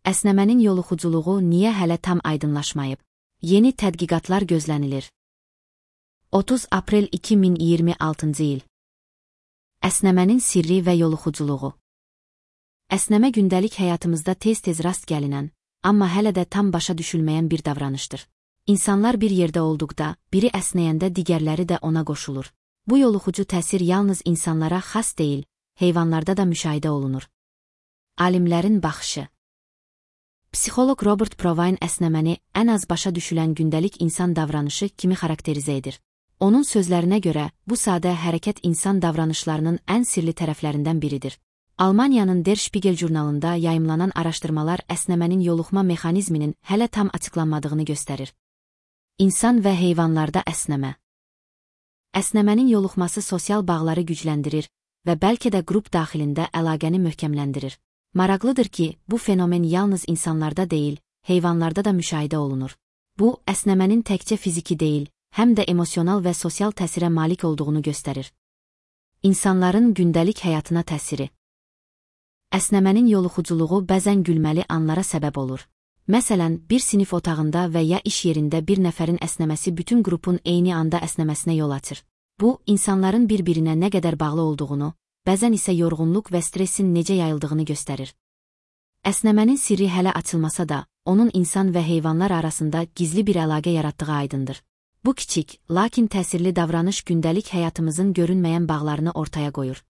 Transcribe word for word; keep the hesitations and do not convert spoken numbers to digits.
Əsnəmənin yoluxuculuğu niyə hələ tam aydınlaşmayıb? Yeni tədqiqatlar gözlənilir. otuz aprel iki min iyirmi altıncı il. Əsnəmənin sirri və yoluxuculuğu. Əsnəmə gündəlik həyatımızda tez-tez rast gəlinən, amma hələ də tam başa düşülməyən bir davranışdır. İnsanlar bir yerdə olduqda, biri əsnəyəndə digərləri də ona qoşulur. Bu yoluxucu təsir yalnız insanlara xas deyil, heyvanlarda da müşahidə olunur. Alimlərin baxışı. Psixoloq Robert Provine əsnəməni ən az başa düşülən gündəlik insan davranışı kimi xarakterizə edir. Onun sözlərinə görə, bu sadə hərəkət insan davranışlarının ən sirli tərəflərindən biridir. Almaniyanın Der Spiegel jurnalında yayımlanan araşdırmalar əsnəmənin yoluxma mexanizminin hələ tam açıqlanmadığını göstərir. İnsan və heyvanlarda əsnəmə. Əsnəmənin yoluxması sosial bağları gücləndirir və bəlkə də qrup daxilində əlaqəni möhkəmləndirir. Maraqlıdır ki, bu fenomen yalnız insanlarda deyil, heyvanlarda da müşahidə olunur. Bu, əsnəmənin təkcə fiziki deyil, həm də emosional və sosial təsirə malik olduğunu göstərir. İnsanların gündəlik həyatına təsiri. Əsnəmənin yoluxuculuğu bəzən gülməli anlara səbəb olur. Məsələn, bir sinif otağında və ya iş yerində bir nəfərin əsnəməsi bütün qrupun eyni anda əsnəməsinə yol açır. Bu, insanların bir-birinə nə qədər bağlı olduğunu, bəzən isə yorğunluq və stressin necə yayıldığını göstərir. Əsnəmənin sirri hələ açılmasa da, onun insan və heyvanlar arasında gizli bir əlaqə yaratdığı aydındır. Bu kiçik, lakin təsirli davranış gündəlik həyatımızın görünməyən bağlarını ortaya qoyur.